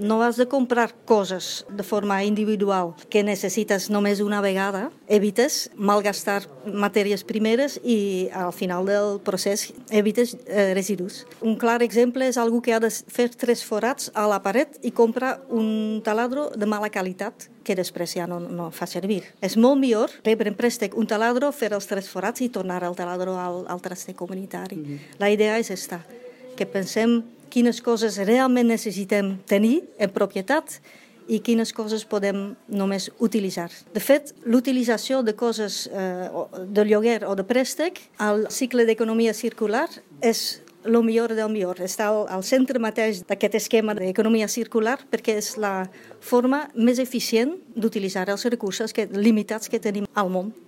no has de comprar coses de forma individual que necessites només una vegada, evites malgastar matèries primeres i al final del procés evites residus. Un clar exemple és algú que ha de fer 3 forats a la paret i compra un taladro de mala qualitat que després ja no fa servir. És molt millor rebre en préstec un taladro, fer els 3 forats i tornar el taladro al traster comunitari. La idea és esta, que pensem quines coses realment necessitem tenir en propietat i quines coses podem només utilitzar. De fet, l'utilització de coses de lloguer o de préstec al cicle d'economia circular és el millor del millor. Està al centre mateix d'aquest esquema d'economia circular perquè és la forma més eficient d'utilitzar els recursos limitats que tenim al món.